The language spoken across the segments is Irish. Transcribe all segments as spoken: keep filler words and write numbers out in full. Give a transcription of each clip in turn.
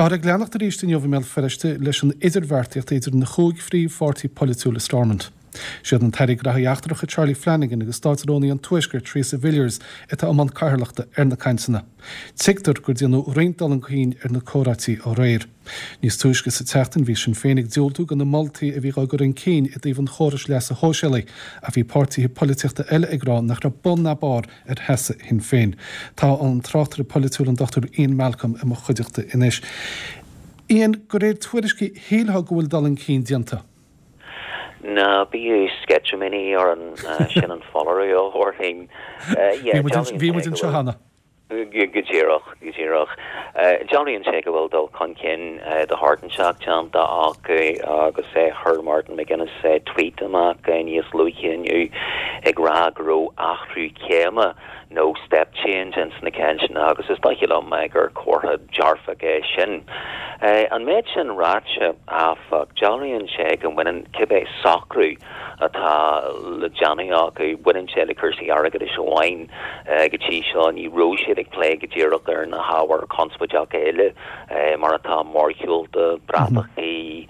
Táthar ag leanacht arís inniu i mBéal Feirste leis an idirbheartaíocht idir na chúig phríomhpháirtí polaitiúil i Stormont. Siad an tAire Gnóthaí Eachtracha Charlie Flanagan agus Státrúnaí an Tuaiscirt Theresa Villiers atá i mbun cathaoirleachta ar na cainteanna. Tuigtear gur déanadh roinnt dul chun cinn ar na comhráití aréir. Níos túisce sa tseachtain bhí Sinn Féin ag diúltú do na moltaí a bhí á gcur chun cinn i dtaobh an chórais leasa shóisialaigh, ach bhí páirtithe polaitíochta eile ag rá nach raibh bun ná barr ar sheasamh Shinn Féin. Tá an tráchtaire polaitiúil an Dr Ian Malcolm i mo chuideachta anois. Ian, de réir tuairiscí shílfeá go bhfuil dul chun cinn déanta. Ná bíodh sceitimíní orainn sin an foláireamh a thabharfainn. Bhí muid anseo cheana. Go díreach, go díreach. Dealraíonn sé go bhfuil dul chun cinn de shórt inteacht déanta acu agus chuir Martin McGuinness tweet amach níos luaithe inniu ag rá go raibh athrú céime nó step change ins na cainteanna agus is dóiche liom gur comhartha dearfach é sin. An méid sin ráite áfach, dealraíonn sé go mbaineann cibé socrú atá le déanamh acu, baineann sé le cúrsaí airgeadais amháin go dtí seo ní raibh siad ag plé go díreach ar na hábhair conspóideacha eile mar atá mórshiúlta, bratachaí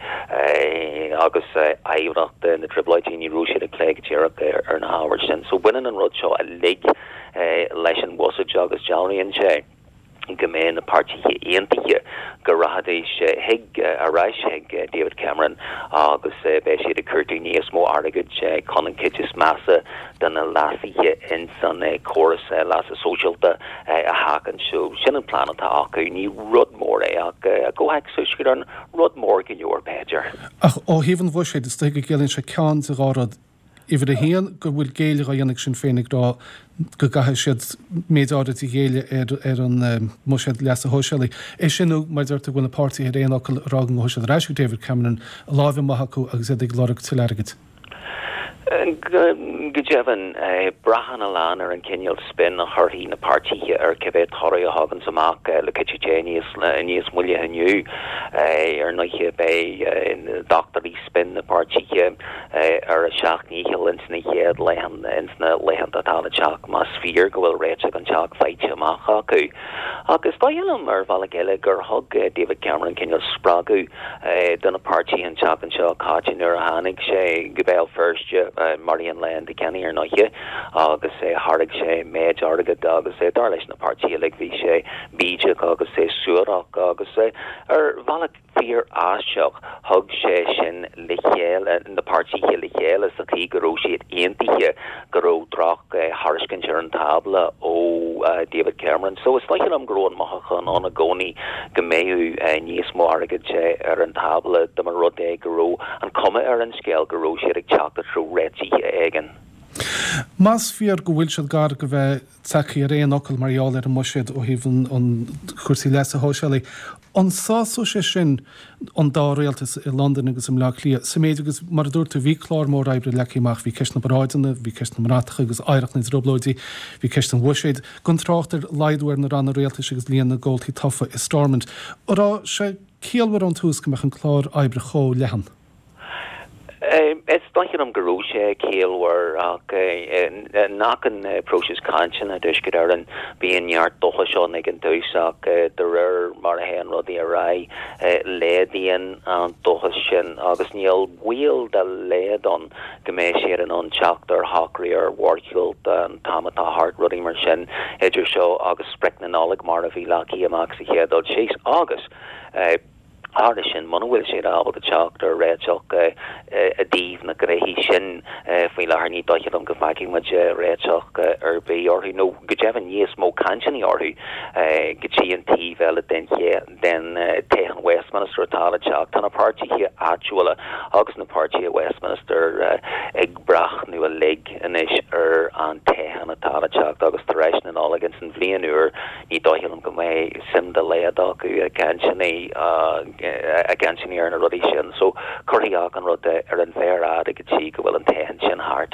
agus oidhreacht na dTrioblóidí, ní raibh siad ag plé go díreach ar na hábhair sin. So baineann an rud seo uilig leis an bhuiséad agus dealraíonn sé go mbeidh na páirtithe aontaithe go rachaidís chuig ar ais chuig David Cameron agus beidh siad ag cuartú níos mó airgid chun an chuid is measa de na leasuithe ins an córas leasa sóisialta a sheachaint. So sin an plean atá acu, ní rud mór é ach i gcomhthéacs Thuaisceart Éireann rud mór go leor b'fhéidir. Ach ó thaobh an bhuiséid is dóigh go gciallaíonn sé ceann de dhá rud. Uimhir a haon go bhfuil géilleadh á dhéanamh ag Sinn Féin ag rá go gcaithfidh siad méid áirid a ghéilleadh ar ar an mbuiséad leasa shóisialaigh. É sin nó mar deir tú go bhfuil na páirtithe ar aon fhocal ag rá go ngabhfaidh siad ar ais chuig David Cameron a láimh amuigh acu agus iad ag lorg tuilleadh airgid. Go deimhin, braitheann a lán ar an cineál spin a chuirfidh na páirtithe ar cibé toradh a thaganns amach le cuidiú Dé níos níos moille inniu. Ar ndóighe beidh dochtúirí spin na páirtithe ar a seacht ndícheall ins na chéad laethanta ins na laethanta atá le teacht más fíor go bhfuil réiteach inteacht faighte amach acu. Ach is dóigh liom ar bhealach eile gur thug David Cameron cineál spreagadh do na páirtithe an tseachtain seo caite nuair a tháinig sé go Béal Feirste mar aon le Enda Kenny ar ndóighe agus thairg sé méid airgid agus dar leis na páirtithe uilig bhí sé bídeach agus é suarach agus ar bhealach fíor aisteach thug sé sin le chéile na páirtithe le chéile sa chaoi go raibh siad aontaithe go raibh droch thairiscint ar an tábla ó David Cameron. So is dóigh liom go raibh an mothúchán ann i gcónaí go mbeadh níos mó airgid ar an tábla dá mba rud é go raibh an cuma ar an scéal go raibh siad ag teacht i dtreo réitithe éigin. Más fíor go bhfuil siad gar go bheith tagtha ar aon fhocal mar gheall ar an mbuiséad ó thaobh an chúrsaí leasa shóisialaigh, an sásódh sé sin an dá rialtas i Londain agus i mBleá Cliath sa méid agus mar a dúirt tú bhí clár mór oibre leagtha amach, bhí ceist na bparáideanna, bhí ceist na mbratacha agus oidhreacht na dTrioblóidí, bhí ceist an bhuiséid, gan trácht ar laghdú ar na ranna rialtais agus líon na gcomhaltaí tofa i Stormont. An raibh sé ciallmhar ón tús go mbeadh an clár oibre chomh leathan? Is dóigh liom go raibh sé ciallmhar ach in achan próiseas cainteanna i dTuaisceart Éireann bíonn neart dóchais ann ag an dtús ach de réir mar a théann rudaí ar aghaidh laghdaíonn an dóchas sin agus níl baol dá laghad ann go mbeidh siad in ann teacht ar shocrú ar mhórshiúlta an t-am atá thart, rudaí mar sin idir seo agus sprioc na Nollag mar a bhí leagtha amach sa chéad dul síos agus Thairis sin, muna bhfuil siad ábalta teacht ar réiteach i dtaobh na gnoithí sin faoi láthair, ní dóiche liom go bhfeicfidh muid réiteach ar bith orthu, nó go deimhin níos mó cainteanna orthu go dtí an taobh eile den den toghchán Westminster atá le teacht. Tá na páirtithe áitiúla agus na páirtithe Westminster ag breathnú uilig anois ar an toghchán atá le teacht agus tar éis na Nollag ins an bhliain úr, Ní dóiche liom go mbeidh suim dá laghad acu i gcainteanna i gcainteanna ar na rudaí sin. So cuirfidh achan rud ar an mhéar fhada go dtí go bhfuil an toghchán sin thart.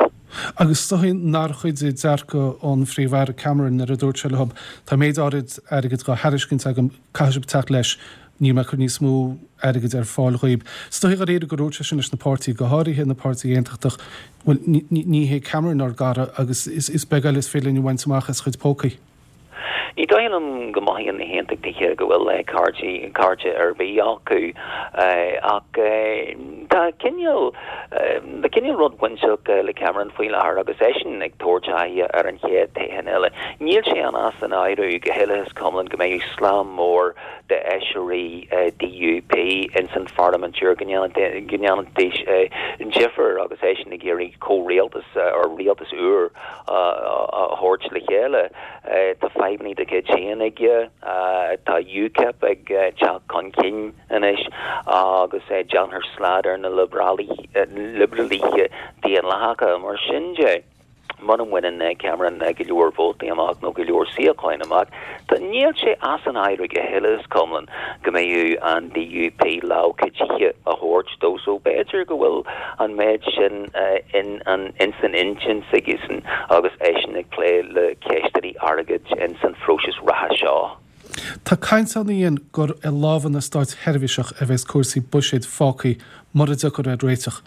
Agus is dóichí nár chuidigh dearcadh an Phríomh-Aire Cameron nuair a dúirt sé leo, tá méid áirid airgid dhá thairiscint agam, caithfidh sibh teacht leis, níl mé ag cur níos mó airgid ar fáil dhaoib. Is dóichí dháiríre gur dhúirt sé sin leis na páirtithe, go háirithe na páirtithe aontachtach, bhuel ní hé Cameron ár gcara agus is beag eile is féidir linn a bhaint amach as a chuid pócaí. Ní dóigh liom go mothaíonn na hAontachtaithe go bhfuil cairde cairde ar bith acu ach tá cineál tá cineál rud bainteach le Cameron faoi láthair agus eisean ag tabhairt aghaidh ar an chéad toghchán eile. Níl sé an as an áireamh go huile is go hiomlán go mbeidh slám mór de fheisirí DUP ins an pharlaimint go ndéanfaidís difear agus eisean ag iarraidh comhrialtas ar rialtas úr a thabhairt le chéile. Tá fadhbanna dá chuid féin aige tá UKIP ag teacht chun cinn anois agus déanfar slad ar na liobrálaithe daonlathacha mar sin de. Muna mbaineann Cameron go leor vótaí amach nó go leor suíocháin amach, Tá níl sé as an áireamh go huile is go hiomlán go mbeidh an DUP lámh chuidithe a thabhairt dó so b'fhéidir go bhfuil an méid sin in an in san intinn aigesean agus eisean ag plé le ceisteanna airgid in san phróiseas reatha seo. Tá caint ann gur i lámha na státseirbhíseach a bheas cúrsaí buiséid fágtha mura dtiocfar ar réiteach.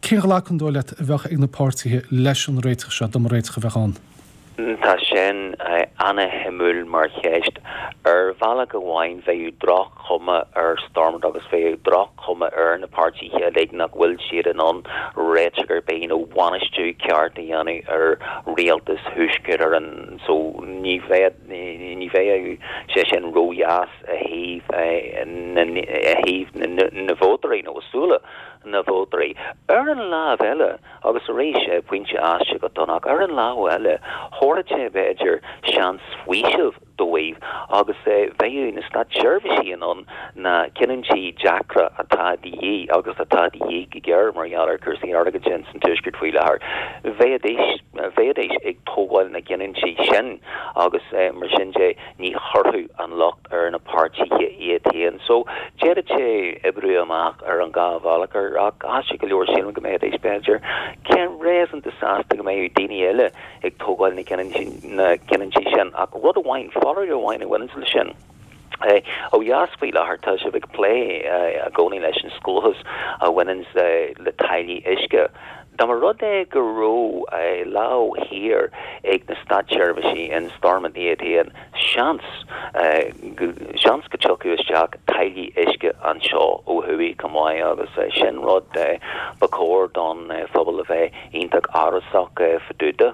Cén ghlacadh an dóigh leat a bheadh ag na páirtithe leis an réiteach seo dá mba réiteach a bheadh ann? Tá sin an-shuimiúil mar cheist ar bhealach amháin bheadh droch-chuma ar Stormont agus bheadh droch-chuma ar na páirtithe uilig nach bhfuil siad in ann réiteach ar bith nó bainistiú ceart a dhéanamh ar rialtas Thuaisceart Éireann so ní bheadh ní bheadh sé sin ródheas i thaobh i thaobh na vótóirí nó súile na vótóirí. Ar an lámh eile agus arís pointe aisteach go ach ar an lámh eile thabharfadh sé b'fhéidir seans faoiseamh dóibh agus bheadh na státseirbhísigh in ann na cinntí deacra atá de dhíth agus atá de dhíth go géar mar gheall ar cúrsaí airgid sin san tuaisceart faoi láthair. Bheidís bheidís ag tógáil na gcinntí sin agus mar sin de ní chuirfeadh an locht ar na páirtithe iad féin. So d'fhéadfadh sé oibriú amach ar an dhá bhealach ar ach as go leor sílim go mbeidís b'fhéidir cén réasúnta sásta go mbeidh daoine eile ag tógáil na na cinntí sin ach rud amháin foláireamh amháin a bhaineann le sin. Ó dheas faoi láthair tá sibh ag plé i gcónaí leis an scóthas a bhaineann le táillí uisce. Dá mba rud é go raibh lámh thiar ag na státseirbhísigh in Stormont iad féin seans seans go dtiocfadh isteach táillí uisce anseo ó thuaidh chomh maith agus sin rud ba chóir don phobal a bheith iontach amhrasach fá dtaobh de.